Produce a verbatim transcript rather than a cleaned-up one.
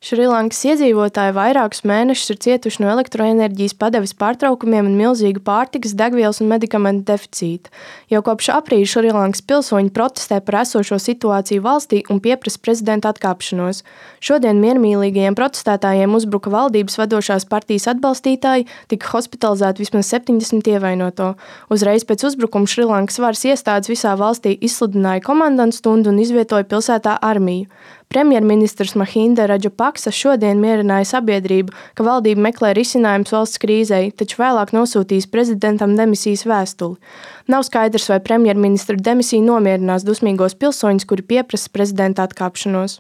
Šrilankas iedzīvotāji vairākus mēnešus ir cietuši no elektroenerģijas padeves pārtraukumiem un milzīgu pārtikas, degvielas un medikamentu deficīta. Jau kopš aprīļa Šrilankas pilsoņi protestē par esošo situāciju valstī un pieprasa prezidenta atkāpšanos. Šodien miermīlīgajiem protestētājiem uzbruka valdības vadošās partijas atbalstītāji, tika hospitalizēti vismaz septiņdesmit ievainoto. Uzreiz pēc uzbrukuma Šrilankas varas iestādes visā valstī izsludināja komandantu stundu un izvietoja pilsētā armiju. Premjerministrs Mahinda Rajapaksa šodien mierināja sabiedrību, ka valdība meklē risinājumus valsts krīzei, taču vēlāk nosūtīs prezidentam demisijas vēstuli. Nav skaidrs, vai premjerministra demisija nomierinās dusmīgos pilsoņus, kuri pieprasa prezidenta atkāpšanos.